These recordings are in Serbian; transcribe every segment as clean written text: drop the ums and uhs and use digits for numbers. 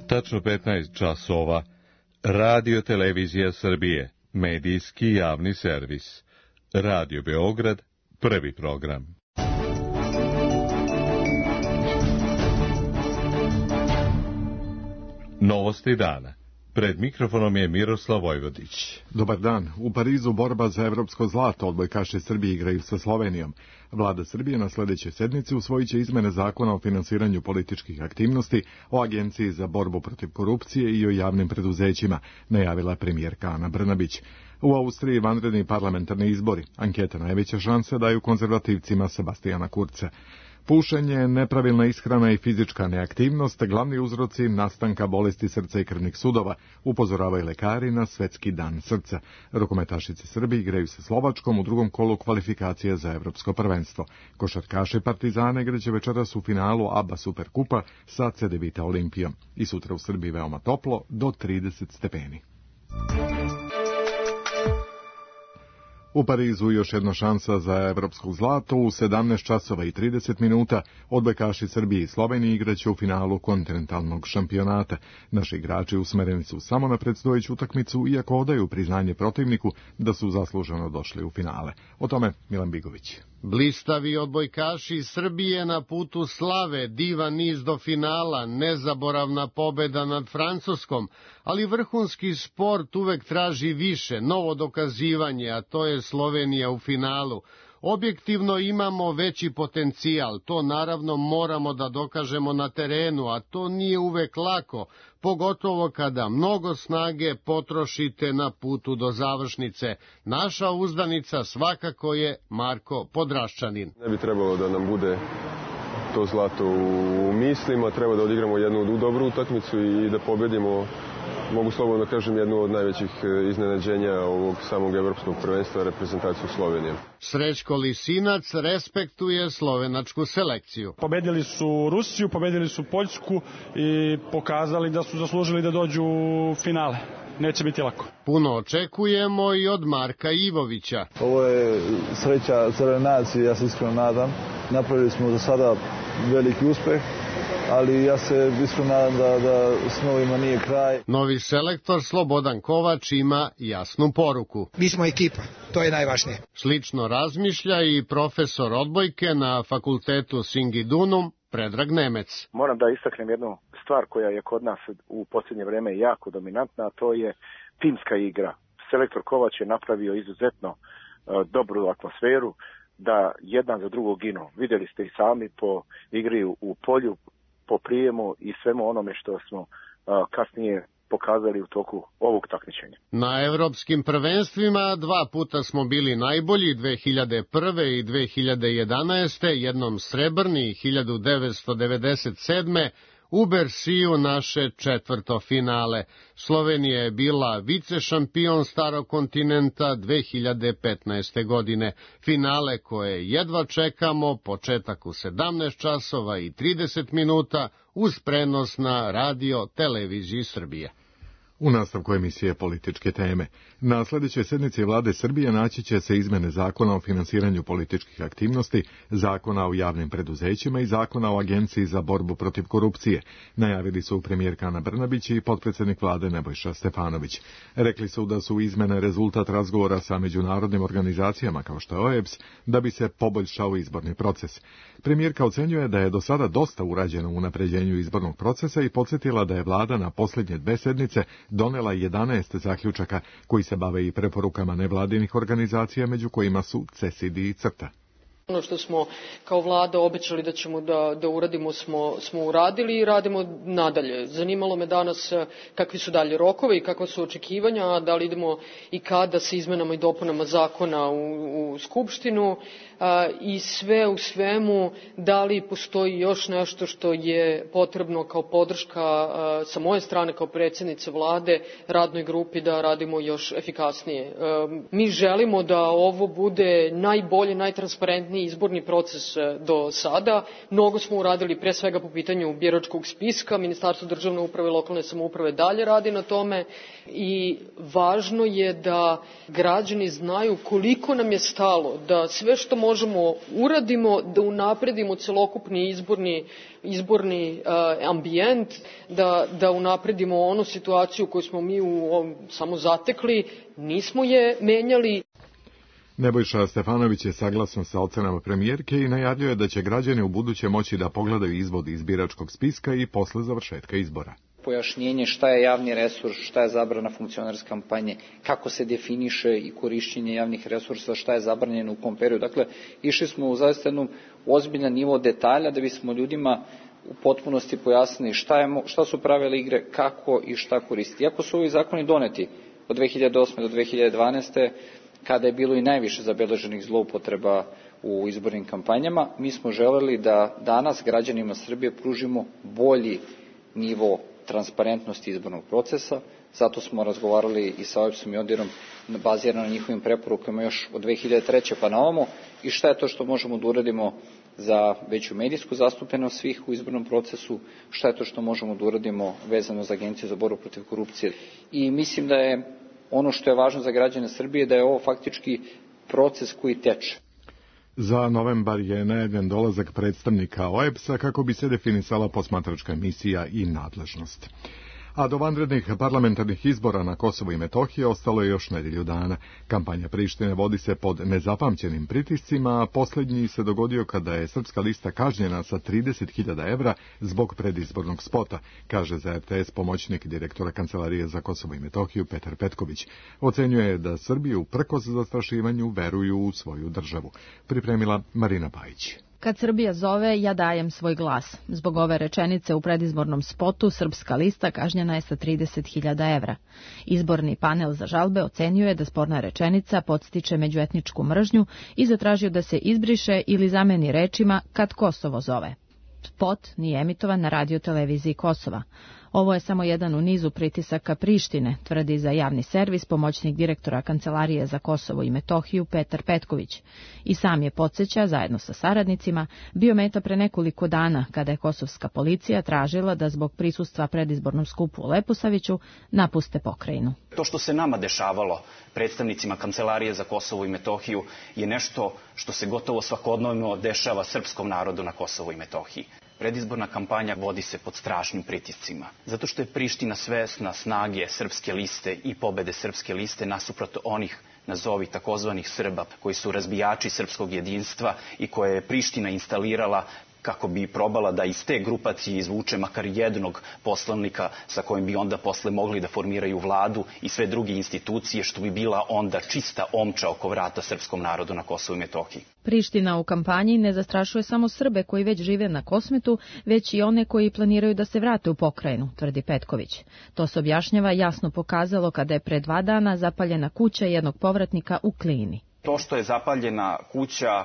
Tačno 15 časova. Radio Televizija Srbije, medijski javni servis. Radio Beograd, prvi program. Novosti dana. Pred mikrofonom je Miroslav Vojvodić. Dobar dan. U Parizu borba za evropsko zlato. Odbojkaši Srbije igraju sa Slovenijom. Vlada Srbije na sljedećoj sednici usvojit će izmene zakona o finansiranju političkih aktivnosti, o Agenciji za borbu protiv korupcije i o javnim preduzećima, najavila premijerka Ana Brnabić. U Austriji vanredni parlamentarni izbori. Ankete najveća šanse daju konzervativcima Sebastijana Kurca. Pušenje, nepravilna ishrana i fizička neaktivnost glavni uzroci nastanka bolesti srca i krvnih sudova, upozoravaju lekari na Svetski dan srca. Rukometašice Srbije igraju sa Slovačkom u drugom kolu kvalifikacije za evropsko prvenstvo. Košarkaši Partizana igraće večeras u finalu ABA Superkupa sa CDVita Olimpijom. I sutra u Srbiji veoma toplo, do 30 stepeni. U Parizu još jedna šansa za evropsko zlato. U 17 časova i 30 minuta odbojkaši Srbije i Slovenije igraće u finalu kontinentalnog šampionata. Naši igrači usmereni su samo na predstojeću utakmicu, iako odaju priznanje protivniku da su zasluženo došli u finale. O tome Milan Bigović. Blistavi odbojkaši Srbije na putu slave, divan niz do finala, nezaboravna pobeda nad Francuskom, ali vrhunski sport uvek traži više, novo dokazivanje, a to je Slovenija u finalu. Objektivno imamo veći potencijal, to naravno moramo da dokažemo na terenu, a to nije uvek lako, pogotovo kada mnogo snage potrošite na putu do završnice. Naša uzdanica svakako je Marko Podraščanin. Ne bi trebalo da nam bude to zlato u mislima, treba da odigramo jednu dobru utakmicu i da pobedimo, mogu slobodno kažem, jednu od najvećih iznenađenja ovog samog evropskog prvenstva, reprezentaciju Slovenije. Srećko Lisinac respektuje slovenačku selekciju. Pobedili su Rusiju, pobedili su Poljsku i pokazali da su zaslužili da dođu u finale. Neće biti lako. Puno očekujemo i od Marka Ivovića. Ovo je sreća celoj naciji, ja se iskreno nadam. Napravili smo do sada veliki uspeh, ali ja se iskreno nadam da s novima nije kraj. Novi selektor Slobodan Kovač ima jasnu poruku. Mi smo ekipa, to je najvažnije. Slično razmišlja i profesor odbojke na fakultetu Singidunum, Predrag Nemec. Moram da istaknem jednu stvar koja je kod nas u posljednje vreme jako dominantna, a to je timska igra. Selektor Kovač je napravio izuzetno dobru atmosferu, da jedan za drugog ginu. Vidjeli ste i sami po igri u polju, po prijemu i svemu onome što smo kasnije pokazali u toku ovog takmičenja. Na evropskim prvenstvima 2 puta smo bili najbolji, 2001. i 2011. jednom srebrni 1997. u Bersiju naše četvrto finale. Slovenija je bila vicešampion starog kontinenta 2015. godine. Finale koje jedva čekamo, početak u 17 časova i 30 minuta uz prenos na Radio Televiziji Srbije. U nastavku emisije političke teme. Na sljedećoj sednici vlade Srbije naći će se izmene zakona o finansiranju političkih aktivnosti, zakona o javnim preduzećima i zakona o Agenciji za borbu protiv korupcije. Najavili su premijerka Ana Brnabić i potpredsjednik vlade Nebojša Stefanović. Rekli su da su izmene rezultat razgovora sa međunarodnim organizacijama kao što je OEBS, da bi se poboljšao izborni proces. Premijerka ocenjuje da je do sada dosta urađeno u unapređenju izbornog procesa i podsjetila da je vlada na posljednje 2 sednice donela 11 zaključaka koji se bave i preporukama nevladinih organizacija, među kojima su CESID i CRTA. Ono što smo kao vlada obećali da ćemo da uradimo smo uradili i radimo nadalje. Zanimalo me danas kakvi su dalje rokovi i kakva su očekivanja, da li idemo i kada sa izmenama i dopunama zakona u Skupštinu i sve u svemu, da li postoji još nešto što je potrebno kao podrška sa moje strane kao predsjednice vlade radnoj grupi da radimo još efikasnije. Mi želimo da ovo bude najbolje, najtransparentniji izborni proces do sada. Mnogo smo uradili pre svega po pitanju biračkog spiska. Ministarstvo državne uprave i lokalne samouprave dalje radi na tome i važno je da građani znaju koliko nam je stalo da sve što možemo uradimo da unapredimo celokupni izborni ambijent, da unapredimo onu situaciju koju smo mi samo zatekli, nismo je menjali. Nebojša Stefanović je saglasan sa ocenama premijerke i najavljuje da će građani u buduće moći da pogledaju izvod iz biračkog spiska i posle završetka izbora. Pojašnjenje šta je javni resurs, šta je zabrana funkcionarske kampanje, kako se definiše i korišćenje javnih resursa, šta je zabranjeno u kom periodu. Dakle, išli smo u zaista jednom ozbiljan nivo detalja da bismo ljudima u potpunosti pojasnili šta su pravila igre, kako i šta koristiti. Iako su ovi zakoni doneti od 2008. do 2012. kada je bilo i najviše zabeleženih zloupotreba u izbornim kampanjama, mi smo želeli da danas građanima Srbije pružimo bolji nivo transparentnosti izbornog procesa, zato smo razgovarali i sa OEBS-om i ODIHR-om bazirano na njihovim preporukama još od 2003. pa na ovamo i šta je to što možemo da uradimo za veću medijsku zastupljenost svih u izbornom procesu, šta je to što možemo da uradimo vezano za Agenciju za borbu protiv korupcije. I mislim da je ono što je važno za građane Srbije da je ovo faktički proces koji teče. Za novembar je najavljen dolazak predstavnika OEBS-a kako bi se definisala posmatračka misija i nadležnost. A do vanrednih parlamentarnih izbora na Kosovu i Metohiji ostalo je još nedelju dana. Kampanja Prištine vodi se pod nezapamćenim pritiscima, a posljednji se dogodio kada je Srpska lista kažnjena sa 30.000 evra zbog predizbornog spota, kaže za RTS pomoćnik direktora Kancelarije za Kosovo i Metohiju Petar Petković. Ocenjuje da Srbi uprkos zastrašivanju veruju u svoju državu. Pripremila Marina Pajić. Kad Srbija zove, ja dajem svoj glas. Zbog ove rečenice u predizbornom spotu Srpska lista kažnjena je sa 30.000 evra. Izborni panel za žalbe ocenjuje da sporna rečenica podstiče međuetničku mržnju i zatražio da se izbriše ili zameni rečima kad Kosovo zove. Spot nije emitovan na radioteleviziji Kosova. Ovo je samo jedan u nizu pritisaka Prištine, tvrdi za javni servis pomoćnik direktora Kancelarije za Kosovo i Metohiju Petar Petković. I sam je podsjeća, zajedno sa saradnicima, bio meta pre nekoliko dana kada je kosovska policija tražila da zbog prisustva predizbornom skupu u Leposaviću napuste pokrajinu. To što se nama dešavalo, predstavnicima Kancelarije za Kosovo i Metohiju, je nešto što se gotovo svakodnevno dešava srpskom narodu na Kosovu i Metohiji. Predizborna kampanja vodi se pod strašnim pritiscima, zato što je Priština svesna snage Srpske liste i pobede Srpske liste nasuprot onih, nazovi takozvanih Srba, koji su razbijači srpskog jedinstva i koje je Priština instalirala kako bi probala da iz te grupacije izvuče makar jednog poslanika sa kojim bi onda posle mogli da formiraju vladu i sve druge institucije, što bi bila onda čista omča oko vrata srpskom narodu na Kosovu i Metohiji. Priština u kampanji ne zastrašuje samo Srbe koji već žive na Kosmetu, već i one koji planiraju da se vrate u pokrajinu, tvrdi Petković. To se objašnjava jasno pokazalo kada je pre 2 dana zapaljena kuća jednog povratnika u Klini. To što je zapaljena kuća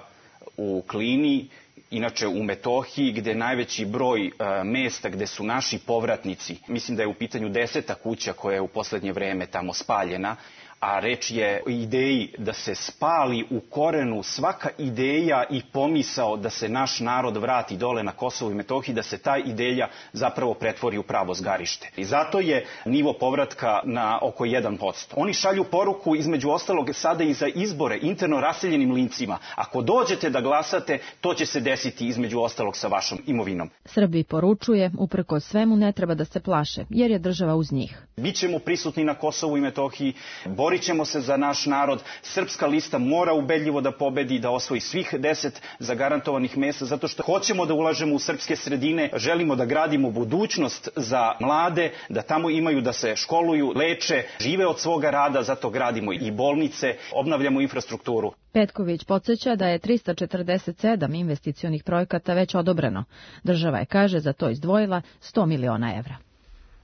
u Klini, inače u Metohiji, gde je najveći broj mesta gde su naši povratnici, mislim da je u pitanju 10. kuća koja je u poslednje vreme tamo spaljena, a reč je o ideji da se spali u korenu svaka ideja i pomisao da se naš narod vrati dole na Kosovo i Metohiji, da se ta ideja zapravo pretvori u pravo zgarište. I zato je nivo povratka na oko 1%. Oni šalju poruku između ostalog sada i za izbore interno raseljenim lincima. Ako dođete da glasate, to će se desiti između ostalog sa vašom imovinom. Srbiji poručuje, uprkos svemu ne treba da se plaše, jer je država uz njih. Bićemo prisutni na Kosovu i Metohiji, borit ćemo se za naš narod. Srpska lista mora ubedljivo da pobedi, da osvoji svih 10 zagarantovanih mesta, zato što hoćemo da ulažemo u srpske sredine, želimo da gradimo budućnost za mlade, da tamo imaju da se školuju, leče, žive od svoga rada, zato gradimo i bolnice, obnavljamo infrastrukturu. Petković podsjeća da je 347 investicionih projekata već odobreno. Država je, kaže, za to izdvojila 100 miliona evra.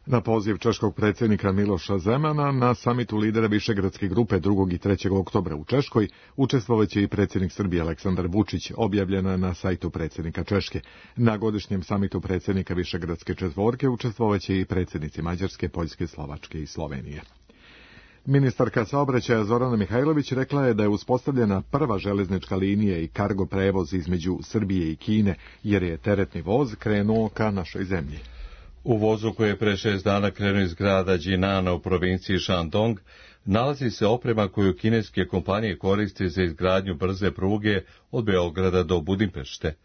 Na poziv češkog predsjednika Miloša Zemana na samitu lidera Višegradske grupe 2. i 3. oktobra u Češkoj učestvovaće i predsjednik Srbije Aleksandar Vučić, objavljena na sajtu predsjednika Češke. Na godišnjem samitu predsjednika Višegradske četvorke učestvovaće i predsjednici Mađarske, Poljske, Slovačke i Slovenije. Ministarka saobraćaja Zorana Mihajlović rekla je da je uspostavljena prva železnička linija i kargo prevoz između Srbije i Kine, jer je teretni voz krenuo ka našoj zemlji. U vozu koji je pre 6 dana krenuo iz grada Jinana u provinciji Shandong nalazi se oprema koju kineske kompanije koriste za izgradnju brze pruge od Beograda do Budimpešte.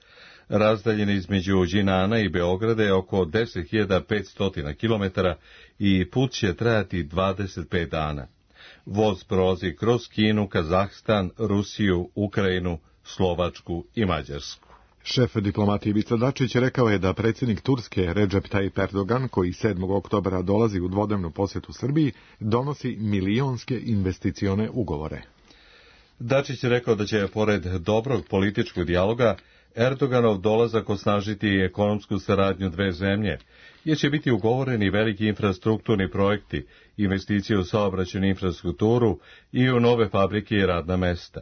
Razdaljina između Jinana i Beograda je oko 10.500 km i put će trajati 25 dana. Voz prolazi kroz Kinu, Kazahstan, Rusiju, Ukrajinu, Slovačku i Mađarsku. Šef diplomatije Ivica Dačić rekao je da predsjednik Turske Recep Tayyip Erdogan, koji 7. oktobra dolazi u dvodnevnu posjetu Srbiji, donosi milionske investicione ugovore. Dačić je rekao da će, pored dobrog političkog dijaloga, Erdoganov dolazak osnažiti ekonomsku saradnju dve zemlje, jer će biti ugovoreni veliki infrastrukturni projekti, investicije u saobraćajnu infrastrukturu i u nove fabrike i radna mesta.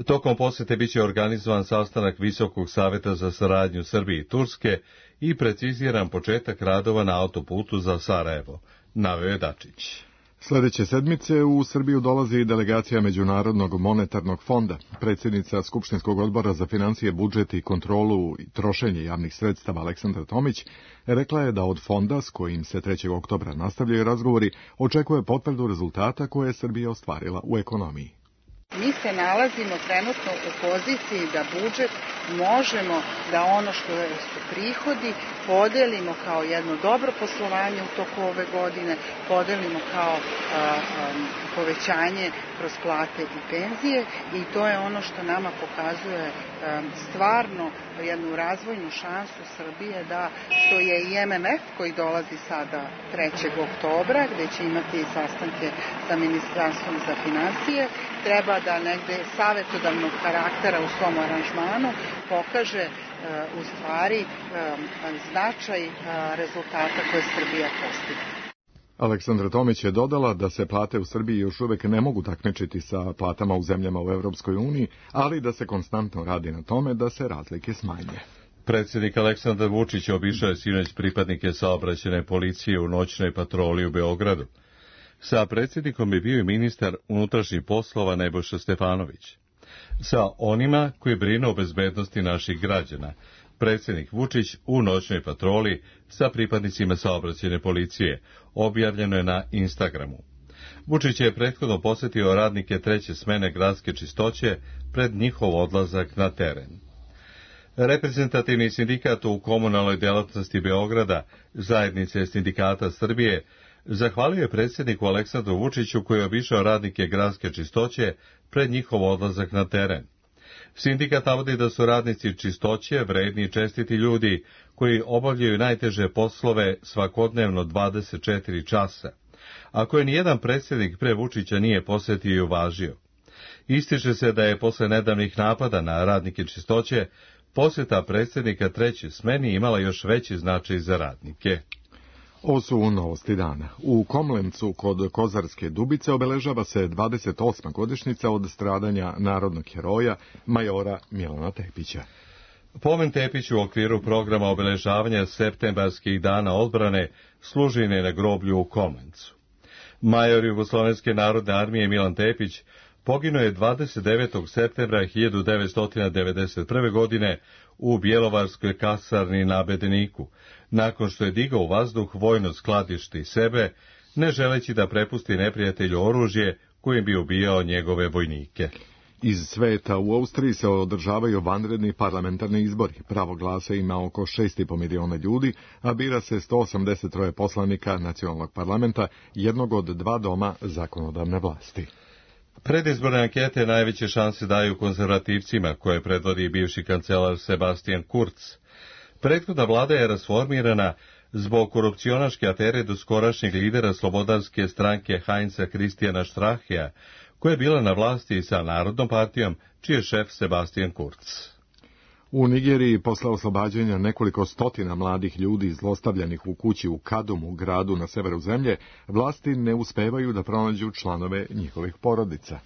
Tokom posjete biće organizovan sastanak Visokog saveta za saradnju Srbije i Turske i preciziran početak radova na autoputu za Sarajevo, naveo je Dačić. Sljedeće sedmice u Srbiju dolazi delegacija Međunarodnog monetarnog fonda. Predsjednica Skupštinskog odbora za financije, budžet i kontrolu i trošenje javnih sredstava Aleksandra Tomić rekla je da od fonda, s kojim se 3. oktobra nastavljaju razgovori, očekuje potvrdu rezultata koje je Srbija ostvarila u ekonomiji. Mi se nalazimo trenutno u poziciji da budžet možemo da ono što su prihodi podelimo kao jedno dobro poslovanje u toku ove godine, podelimo kao povećanje kroz plate i penzije i to je ono što nama pokazuje stvarno jednu razvojnu šansu Srbije, da što je i MMF koji dolazi sada 3. oktobra gdje će imati sastanke sa Ministarstvom za financije, treba da negde savjetodavnog karaktera u svom aranžmanu pokaže u stvari značaj rezultata koje Srbija postigne. Aleksandra Tomić je dodala da se plate u Srbiji još uvek ne mogu takmičiti sa platama u zemljama u Europskoj uniji, ali da se konstantno radi na tome da se razlike smanje. Predsjednik Aleksandar Vučić obišao je sinoć pripadnike saobraćajne policije u noćnoj patroli u Beogradu. Sa predsjednikom je bio i ministar unutrašnjih poslova Nebojša Stefanović. Sa onima koji brinu o bezbednosti naših građana, predsjednik Vučić u noćnoj patroli sa pripadnicima saobraćajne policije, objavljeno je na Instagramu. Vučić je prethodno posjetio radnike 3. smene gradske čistoće pred njihov odlazak na teren. Reprezentativni sindikat u komunalnoj delatnosti Beograda, zajednice sindikata Srbije, zahvalio je predsjedniku Aleksandru Vučiću koji je obišao radnike gradske čistoće pred njihov odlazak na teren. Sindikat navodi da su radnici čistoće vredni i čestiti ljudi koji obavljaju najteže poslove svakodnevno 24 časa, a koje nijedan predsjednik pre Vučića nije posjetio i uvažio. Ističe se da je posle nedavnih napada na radnike čistoće posjeta predsjednika 3. smeni imala još veći značaj za radnike. Ovo su novosti dana. U Komlencu kod Kozarske Dubice obeležava se 28. godišnjica od stradanja narodnog heroja majora Milana Tepića. Pomen Tepiću u okviru programa obeležavanja septembarskih dana odbrane služi na groblju u Komlencu. Major Jugoslovenske narodne armije Milan Tepić poginuo je 29. septembra 1991. godine u Bjelovarskoj kasarni na Bedeniku, nakon što je digao u vazduh vojno skladište i sebe, ne želeći da prepusti neprijatelju oružje kojim bi ubijao njegove vojnike. Iz sveta u Austriji se održavaju vanredni parlamentarni izbori. Pravo glasa ima oko 6,5 miliona ljudi, a bira se 183 poslanika nacionalnog parlamenta, jednog od 2 doma zakonodavne vlasti. Predizborne ankete najveće šanse daju konzervativcima, koje predvodi bivši kancelar Sebastian Kurz. Prethodna vlada je rasformirana zbog korupcionaške afere doskorašnjeg lidera slobodarske stranke Heinza Christiana Strachea, koja je bila na vlasti sa Narodnom partijom, čiji je šef Sebastian Kurz. U Nigeriji, posle oslobađanja nekoliko stotina mladih ljudi zlostavljanih u kući u Kadumu, gradu na severu zemlje, vlasti ne uspevaju da pronađu članove njihovih porodica.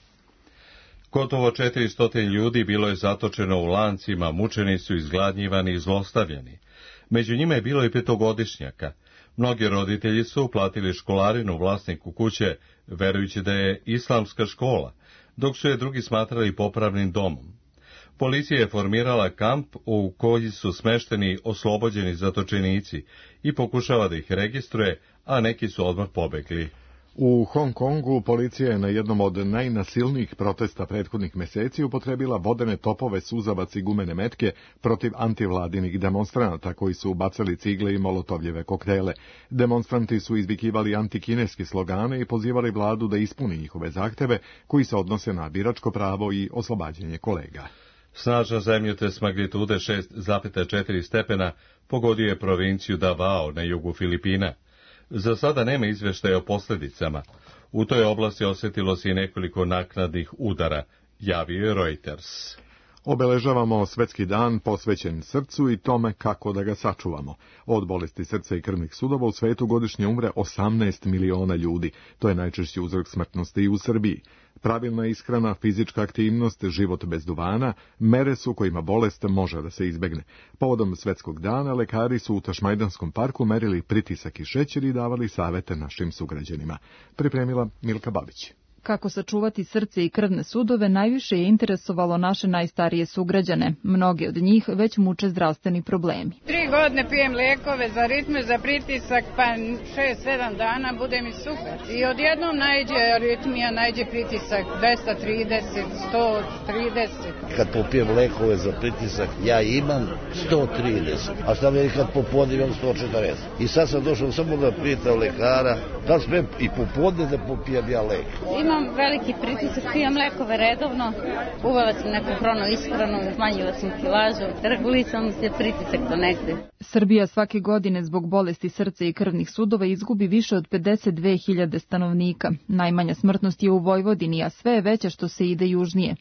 Gotovo 400 ljudi bilo je zatočeno u lancima, mučeni su, izgladnjivani i zlostavljani. Među njima je bilo i 5-godišnjaka. Mnogi roditelji su uplatili školarinu vlasniku kuće, verujući da je islamska škola, dok su je drugi smatrali popravnim domom. Policija je formirala kamp u koji su smešteni oslobođeni zatočenici i pokušava da ih registruje, a neki su odmah pobegli. U Hong Kongu policija je na jednom od najnasilnijih protesta prethodnih meseci upotrebila vodene topove, suzavac i gumene metke protiv antivladinih demonstranata koji su bacali cigle i molotovljeve koktele. Demonstranti su izvikivali antikineske slogane i pozivali vladu da ispuni njihove zahteve koji se odnose na biračko pravo i oslobađanje kolega. Snažan zemljotres magnitude 6,4 stepena pogodio je provinciju Davao na jugu Filipina. Za sada nema izveštaja o posljedicama. U toj oblasti osjetilo se i nekoliko naknadnih udara, javio je Reuters. Obeležavamo Svetski dan posvećen srcu i tome kako da ga sačuvamo. Od bolesti srca i krvnih sudova u svetu godišnje umre 18 miliona ljudi. To je najčešći uzrok smrtnosti i u Srbiji. Pravilna ishrana, fizička aktivnost, život bez duvana, mere su kojima bolest može da se izbegne. Povodom Svetskog dana lekari su u Tašmajdanskom parku merili pritisak i šećer i davali savete našim sugrađanima. Pripremila Milka Babić. Kako sačuvati srce i krvne sudove najviše je interesovalo naše najstarije sugrađane. Mnogi od njih već muče zdravstveni problemi. 3 godine pijem lekove za ritme, za pritisak, pa 6-7 dana bude mi super. I odjednom najđe aritmija, najđe pritisak 230, 130. Kad popijem lekove za pritisak, ja imam 130. A šta mi kad popodne imam 140. I sad sam došao samo da pitam lekara, da li smem i popodne da popijem ja lek. Imam veliki pritisak, pijem lekove redovno, uvela sam neku hrono ishranu, smanjila sam kilažu, regulisam se pritisak do negde. Srbija svake godine zbog bolesti srca i krvnih sudova izgubi više od 52.000 stanovnika. Najmanja smrtnost je u Vojvodini, a sve je veća što se ide južnije.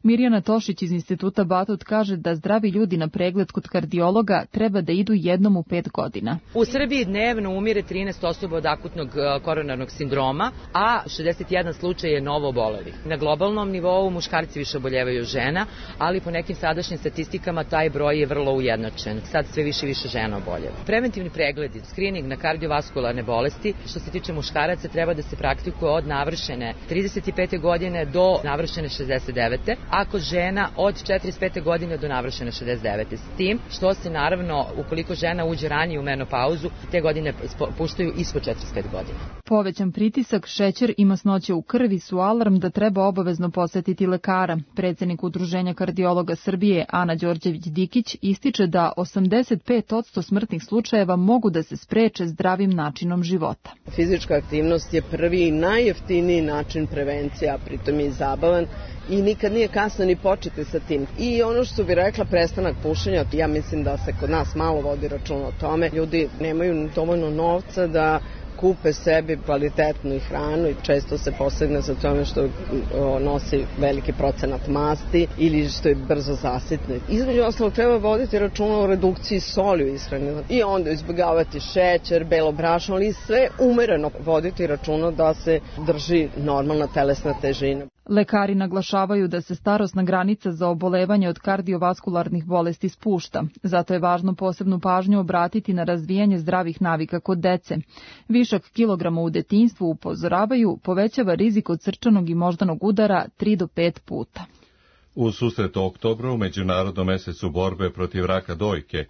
Mirjana Tošić iz Instituta Batut kaže da zdravi ljudi na pregled kod kardiologa treba da idu jednom u 5 godina. U Srbiji dnevno umire 13 osoba od akutnog koronarnog sindroma, a 61 slučaj je novo obolelih. Na globalnom nivou muškarci više oboljevaju žena, ali po nekim sadašnjim statistikama taj broj je vrlo ujednačen. Sad sve više žena oboljeva. Preventivni pregledi, skrining na kardiovaskularne bolesti, što se tiče muškaraca, treba da se praktikuje od navršene 35. godine do navršene 69. a kod žena od 45. godine do navršene 69. S tim što se naravno, ukoliko žena uđe ranije u menopauzu, te godine puštaju ispod 45 godina. Povećan pritisak, šećer i masnoće u krvi su alarm da treba obavezno posetiti lekara. Predsednik Udruženja kardiologa Srbije Ana Đorđević-Dikić ističe da 85% smrtnih slučajeva mogu da se spreče zdravim načinom života. Fizička aktivnost je prvi i najjeftiniji način prevencije, a pritom je i zabavan i nikad nije kasno ni početi sa tim. I ono što bi rekla, prestanak pušenja, ja mislim da se kod nas malo vodi računa o tome. Ljudi nemaju dovoljno novca da kupe sebi kvalitetnu hranu i često se posegne za tome što nosi veliki procenat masti ili što je brzo zasitne. Između ostalog treba voditi računa o redukciji soli u ishrani i onda izbjegavati šećer, belo brašno, ali sve umereno voditi računa da se drži normalna telesna težina. Lekari naglašavaju da se starosna granica za obolevanje od kardiovaskularnih bolesti spušta. Zato je važno posebnu pažnju obratiti na razvijanje zdravih navika kod dece. Višak kilograma u detinjstvu, upozoravaju, povećava rizik od srčanog i moždanog udara 3 do 5 puta. U susret oktobru, u Međunarodnom mesecu borbe protiv raka dojke,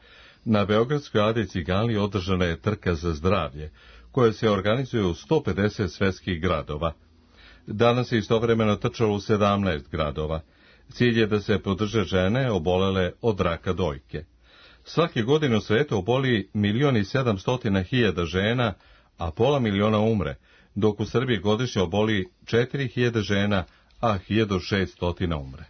na Beogradskoj Adi Ciganliji održana je trka za zdravlje, koja se organizuje u 150 svetskih gradova. Danas je istovremeno trčalo u 17 gradova. Cilj je da se podrže žene obolele od raka dojke. Svake godine u svetu oboli 1.700.000 žena, a pola miliona umre, dok u Srbiji godišnje oboli 4.000 žena, a 1.600 umre.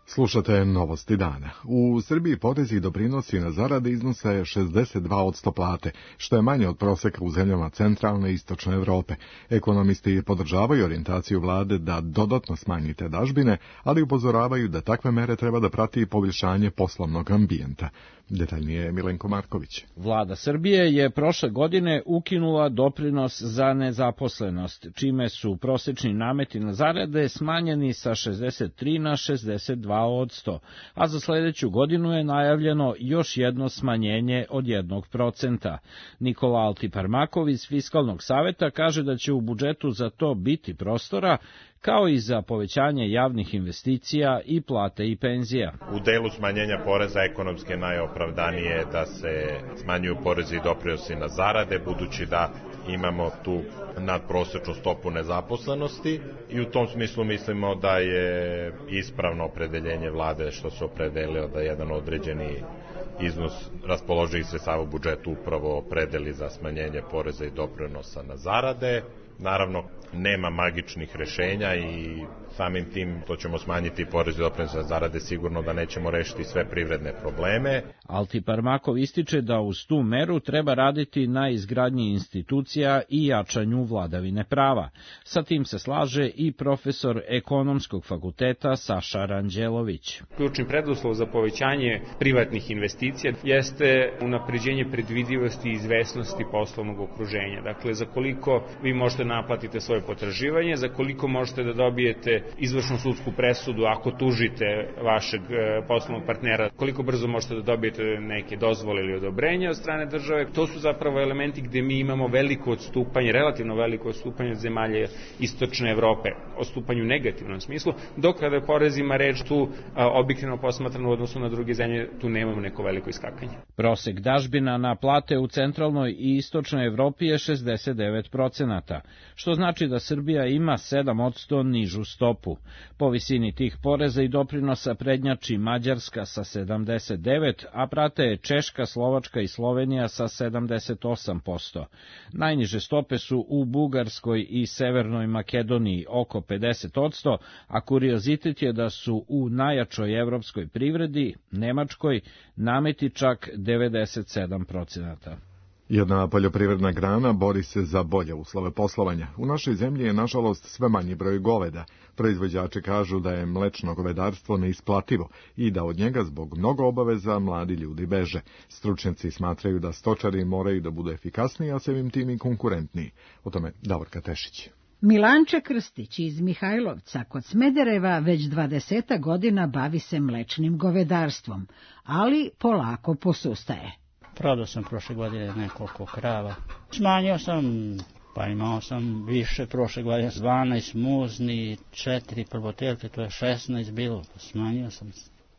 Slušate novosti dana. U Srbiji porezi i doprinosi na zarade iznose 62% plate, što je manje od proseka u zemljama centralne i istočne Evrope. Ekonomisti podržavaju orijentaciju vlade da dodatno smanji te dažbine, ali upozoravaju da takve mere treba da prati poboljšanje poslovnog ambijenta. Detaljnije Milenko Marković. Vlada Srbije je prošle godine ukinula doprinos za nezaposlenost, čime su prosečni nameti na zarade smanjeni sa 63 na 62%, a za sledeću godinu je najavljeno još jedno smanjenje od 1%. Nikola Altiparmakov iz Fiskalnog saveta kaže da će u budžetu za to biti prostora, kao i za povećanje javnih investicija i plate i penzija. U delu smanjenja poreza ekonomski je najopravdanije da se smanjuju porezi i doprinosi na zarade, budući da imamo tu nadprosečnu stopu nezaposlenosti i u tom smislu mislimo da je ispravno opredeljenje vlade što se opredelilo da jedan određeni iznos raspoloživih sredstava u budžetu upravo opredeli za smanjenje poreza i doprinosa na zarade. Naravno, nema magičnih rešenja i samim tim to ćemo smanjiti porez i doprinos na zarade, sigurno da nećemo rešiti sve privredne probleme. Altiparmakov ističe da uz tu meru treba raditi na izgradnji institucija i jačanju vladavine prava. Sa tim se slaže i profesor Ekonomskog fakulteta Saša Ranđelović. Ključni preduslov za povećanje privatnih investicija jeste unapređenje predvidivosti i izvesnosti poslovnog okruženja. Dakle, za koliko vi možete naplatite svoje potraživanje, za koliko možete da dobijete izvršnu sudsku presudu ako tužite vašeg poslovnog partnera, koliko brzo možete da dobijete neke dozvole ili odobrenja od strane države. To su zapravo elementi gde mi imamo veliko odstupanje, relativno veliko odstupanje od zemalja istočne Evrope, odstupanje u negativnom smislu, dok kada je porezima reč tu objektivno posmatrano u odnosu na druge zemlje, tu nemamo neko veliko iskakanje. Prosek dažbina na plate u centralnoj i istočnoj Evropi je 69%, što znači da Srbija ima 7% nižu stopu. Po visini tih poreza i doprinosa prednjači Mađarska sa 79%, a prate je Češka, Slovačka i Slovenija sa 78%. Najniže stope su u Bugarskoj i Severnoj Makedoniji oko 50%, a kuriozitet je da su u najjačoj evropskoj privredi, Nemačkoj, nameti čak 97%. Jedna poljoprivredna grana bori se za bolje uslove poslovanja. U našoj zemlji je, nažalost, sve manji broj goveda. Proizvođači kažu da je mlečno govedarstvo neisplativo i da od njega zbog mnogo obaveza mladi ljudi beže. Stručnjaci smatraju da stočari moraju da budu efikasniji, a samim tim i konkurentniji. O tome Davorka Tešić. Milanče Krstić iz Mihajlovca kod Smedereva već 20 godina bavi se mlečnim govedarstvom, ali polako posustaje. Prodao sam prošle godine nekoliko krava. Smanjio sam, pa imao sam više prošle godine, 12 muzni, 4 prvotelke, to je 16 bilo, smanjio sam.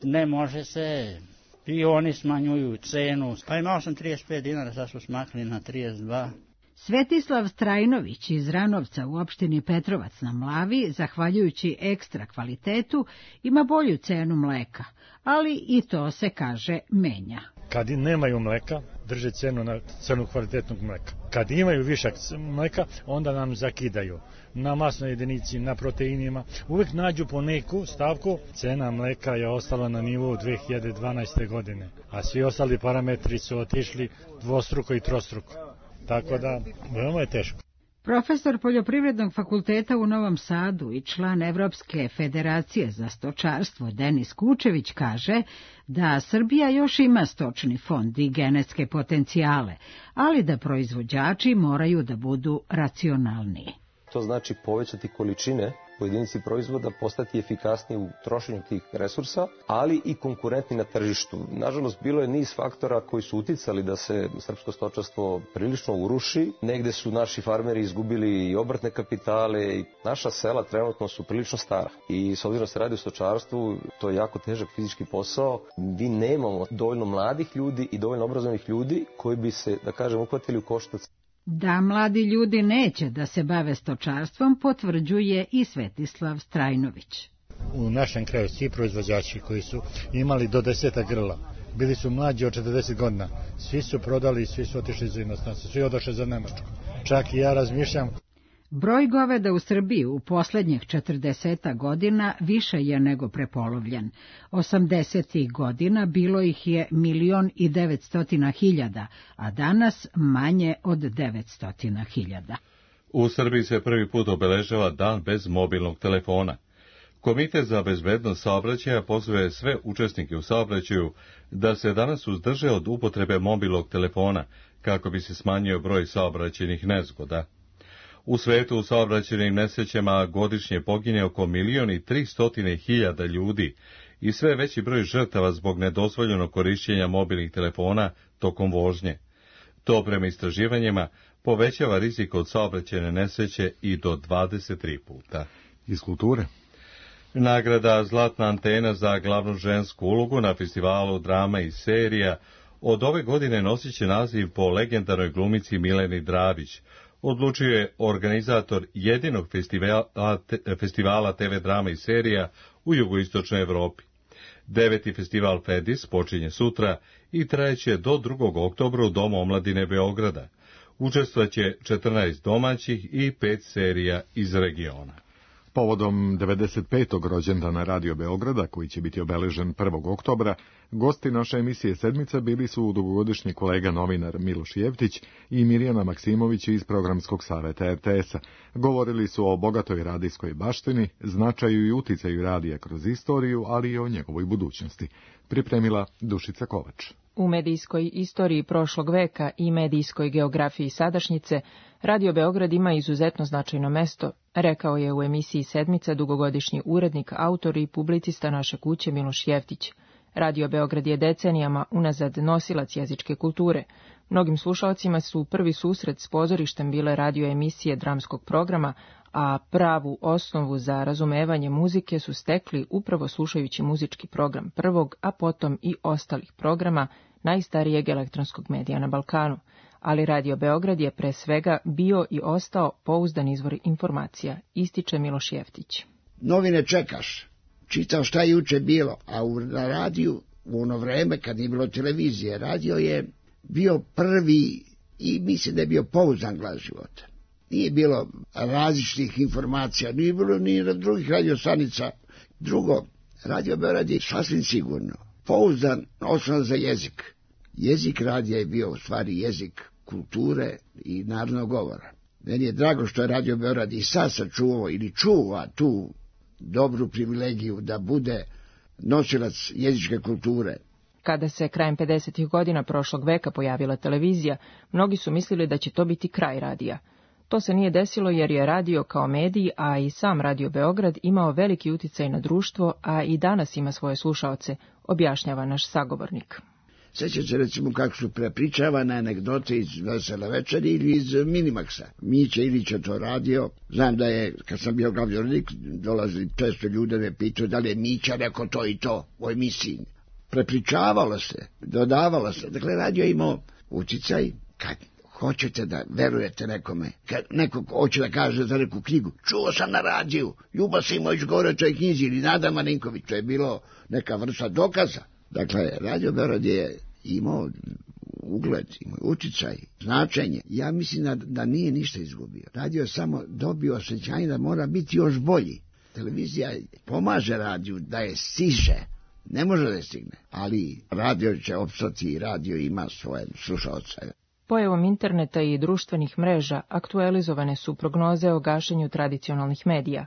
Ne može se, i oni smanjuju cenu, pa imao sam 35 dinara, sad su smakli na 32. Svetislav Strajnović iz Ranovca u opštini Petrovac na Mlavi, zahvaljujući ekstra kvalitetu, ima bolju cenu mleka, ali i to se, kaže, menja. Kad nemaju mleka, drže cenu na cenu kvalitetnog mleka. Kad imaju višak mleka, onda nam zakidaju. Na masnoj jedinici, na proteinima, uvek nađu po neku stavku. Cena mleka je ostala na nivou 2012. godine, a svi ostali parametri su otišli dvostruko i trostruko. Tako da, veoma je teško. Profesor Poljoprivrednog fakulteta u Novom Sadu i član Evropske federacije za stočarstvo Denis Kučević kaže da Srbija još ima stočni fond i genetske potencijale, ali da proizvođači moraju da budu racionalniji. To znači povećati količine po jedinici proizvoda, postati efikasniji u trošenju tih resursa, ali i konkurentni na tržištu. Nažalost, bilo je niz faktora koji su uticali da se srpsko stočarstvo prilično uruši. Negde su naši farmeri izgubili i obrtne kapitale i naša sela trenutno su prilično stara. I s obzirom da se radi o stočarstvu, to je jako težak fizički posao. Mi nemamo dovoljno mladih ljudi i dovoljno obrazovanih ljudi koji bi se, da kažem, uhvatili u koštac. Da mladi ljudi neće da se bave stočarstvom, potvrđuje i Svetislav Strajnović. U našem kraju svi proizvođači koji su imali do 10 grla, bili su mlađi od 40 godina, svi su prodali i svi su otišli za inostranstvo, svi odošli za Nemačku. Čak i ja razmišljam. Broj goveda u Srbiji u poslednjih 40 godina više je nego prepolovljen. 80. godina bilo ih je 1.900.000, a danas manje od 900.000. U Srbiji se prvi put obeležava dan bez mobilnog telefona. Komitet za bezbednost saobraćaja pozove sve učesnike u saobraćaju da se danas uzdrže od upotrebe mobilnog telefona kako bi se smanjio broj saobraćajnih nezgoda. U svetu u saobraćajnim nesrećama godišnje pogine oko 1.300.000 ljudi i sve veći broj žrtava zbog nedozvoljenog korišćenja mobilnih telefona tokom vožnje. To prema istraživanjima povećava rizik od saobraćajne nesreće i do 23 puta. Iz kulture. Nagrada Zlatna antena za glavnu žensku ulogu na festivalu drama i serija od ove godine nosit će naziv po legendarnoj glumici Mileni Dravić. Odlučio je organizator jedinog festivala TV drama i serija u jugoistočnoj Evropi. 9. festival FEDIS počinje sutra i trajeće do 2. oktobra u Domu omladine Beograda. Učestvaće 14 domaćih i 5 serija iz regiona. Povodom 95. rođendana Radio Beograda, koji će biti obeležen 1. oktobra, gosti naše emisije Sedmica bili su dugogodišnji kolega novinar Miloš Jeftić i Mirjana Maksimović iz Programskog saveta RTS-a. Govorili su o bogatoj radijskoj baštini, značaju i uticaju radija kroz istoriju, ali i o njegovoj budućnosti. Pripremila Dušica Kovač. U medijskoj istoriji prošlog veka i medijskoj geografiji sadašnjice, Radio Beograd ima izuzetno značajno mesto, rekao je u emisiji Sedmica dugogodišnji urednik, autor i publicista naše kuće Miloš Jeftić. Radio Beograd je decenijama unazad nosilac jezičke kulture. Mnogim slušalcima su prvi susret s pozorištem bile radio emisije dramskog programa, a pravu osnovu za razumevanje muzike su stekli upravo slušajući muzički program prvog, a potom i ostalih programa najstarijeg elektronskog medija na Balkanu. Ali Radio Beograd je pre svega bio i ostao pouzdan izvor informacija, ističe Miloš Jeftić. Novine čekaš, čitao šta je juče bilo, a na radiju u ono vreme kad nije bilo televizije, radio je bio prvi i mislim da je bio pouzdan glas života. Nije bilo različitih informacija, nije bilo ni na drugih radiostanica. Drugo, Radio Beograd je sasvim sigurno pouzdan osnov za jezik. Jezik radija je bio u stvari jezik kulture i narodnog govora. Meni je drago što je Radio Beograd i sad sačuvao ili čuva tu dobru privilegiju da bude nosilac jezičke kulture. Kada se krajem 50. godina prošlog veka pojavila televizija, mnogi su mislili da će to biti kraj radija. To se nije desilo jer je radio kao medij, a i sam Radio Beograd imao veliki uticaj na društvo, a i danas ima svoje slušaoce, objašnjava naš sagovornik. Sjećam se recimo kako su prepričavane anegdote iz Vesele večeri ili iz Minimaxa. Mića Ilić je to radio. Znam da je, kad sam bio glavni urednik, dolazili često ljude me pitaju da li je Mića rekao to i to u emisiji. Prepričavalo se, dodavalo se. Dakle, radio je imao uticaj kad hoćete da verujete nekome. Kad neko hoće da kaže za neku knjigu, čuo sam na radiju, Ljuba Simović govore o toj knjizi ili Nada Marinković, to je bilo neka vrsta dokaza. Dakle, Radio Beograd je imao ugled, imao uticaj, značenje. Ja mislim da nije ništa izgubio. Radio je samo dobio osjećanje da mora biti još bolji. Televizija pomaže radiju da je stiže. Ne može da je stigne, ali radio će opstati i radio ima svoje slušaoce. Pojavom interneta i društvenih mreža aktualizovane su prognoze o gašenju tradicionalnih medija.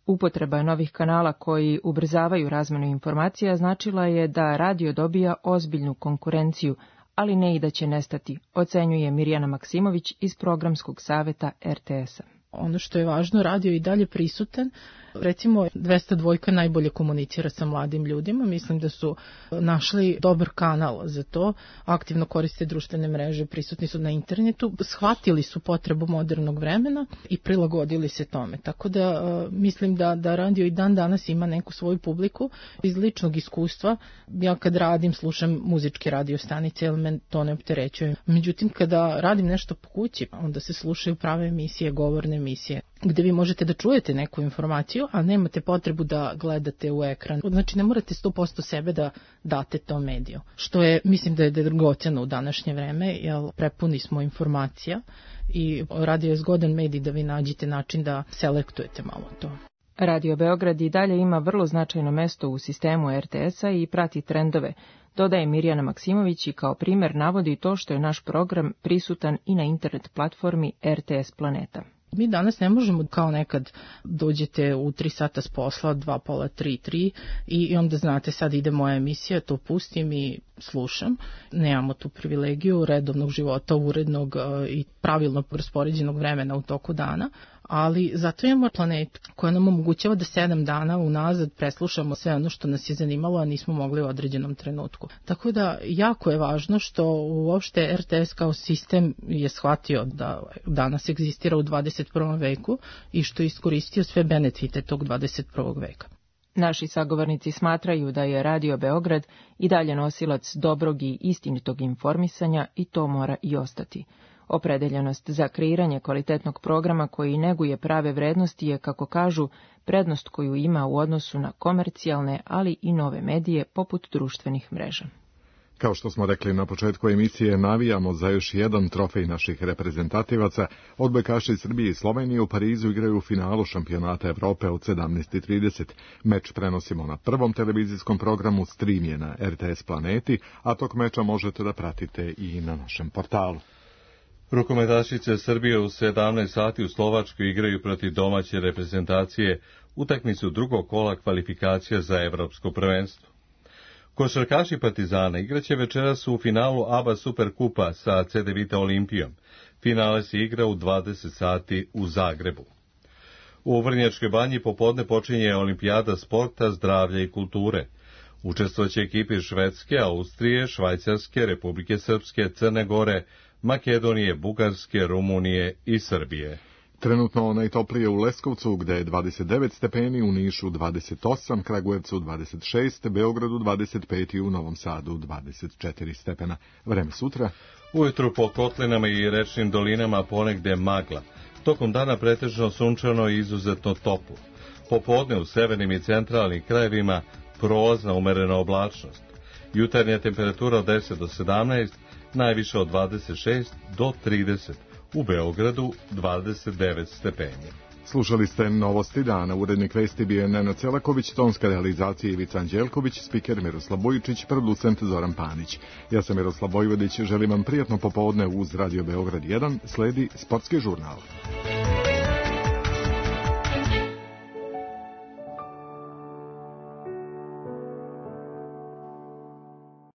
Upotreba novih kanala koji ubrzavaju razmenu informacija značila je da radio dobija ozbiljnu konkurenciju, ali ne i da će nestati, ocenjuje Mirjana Maksimović iz Programskog saveta RTS-a. Ono što je važno, radio i dalje prisutan. Recimo, 202 najbolje komunicira sa mladim ljudima. Mislim da su našli dobar kanal za to. Aktivno koriste društvene mreže, prisutni su na internetu. Shvatili su potrebu modernog vremena i prilagodili se tome. Tako da mislim da radio i dan danas ima neku svoju publiku. Iz ličnog iskustva, ja kad radim, slušam muzičke radio stanice, jer me to ne opterećuje. Međutim, kada radim nešto po kući, onda se slušaju prave emisije, govorne emisije, gde vi možete da čujete neku informaciju, a nemate potrebu da gledate u ekran. Znači, ne morate 100% sebe da date tom mediju. Što je, mislim da je dragoceno u današnje vreme, jer prepuni smo informacija i radio je zgodan medij da vi nađete način da selektujete malo to. Radio Beograd i dalje ima vrlo značajno mesto u sistemu RTS-a i prati trendove, dodaje Mirjana Maksimović i kao primer navodi to što je naš program prisutan i na internet platformi RTS Planeta. Mi danas ne možemo kao nekad dođete u 3 sata s posla, 2, pola, 3 i onda znate sad ide moja emisija, to pustim i slušam. Nemamo tu privilegiju redovnog života, urednog i pravilno raspoređenog vremena u toku dana, ali zato imamo planetu koja nam omogućava da 7 dana unazad preslušamo sve ono što nas je zanimalo, a nismo mogli u određenom trenutku. Tako da jako je važno što uopšte RTS kao sistem je shvatio da danas egzistira u 21. veku i što je iskoristio sve benefite tog 21. veka. Naši sagovornici smatraju da je Radio Beograd i dalje nosilac dobrog i istinitog informisanja i to mora i ostati. Opredeljenost za kreiranje kvalitetnog programa koji neguje prave vrednosti je, kako kažu, prednost koju ima u odnosu na komercijalne, ali i nove medije poput društvenih mreža. Kao što smo rekli na početku emisije, navijamo za još jedan trofej naših reprezentativaca. Odbojkaši Srbije i Slovenije u Parizu igraju u finalu šampionata Evrope od 17:30. Meč prenosimo na prvom televizijskom programu, stream je na RTS Planeti, a tok meča možete da pratite i na našem portalu. Rukometašice Srbije u 17 sati u Slovačkoj igraju protiv domaće reprezentacije utakmicu drugog kola kvalifikacija za evropsko prvenstvo. Košarkaši Partizana igraće večeras u finalu ABA Superkupa sa CD Vita Olimpijom. Finale se igra u 20 sati u Zagrebu. U Vrnjačkoj banji popodne počinje Olimpijada sporta, zdravlja i kulture. Učestvovaće ekipe Švedske, Austrije, Švajcarske, Republike Srpske, Crne Gore, Makedonije, Bugarske, Rumunije i Srbije. Trenutno najtoplije u Leskovcu gde je 29 stepeni, u Nišu 28, Kragujevcu 26, Beogradu 25 i u Novom Sadu 24 stepena. Vreme sutra. Ujutru po kotlinama i rečnim dolinama ponegde magla. Tokom dana pretežno sunčano i izuzetno toplo. Popodne u severnim i centralnim krajevima prolazna umerena oblačnost. Jutarnja temperatura od 10 do 17, najviše od 26 do 30. U Beogradu 29 stepeni. Slušali ste Novosti dana, urednik vesti bio je Nenad Celaković, tonska realizacija Ivica Anđelković, spiker Miroslav Bojičić, producent Zoran Panić. Ja sam Miroslav Vojvodić, želim vam prijatno popodne uz Radio Beograd 1, sledi sportski žurnal.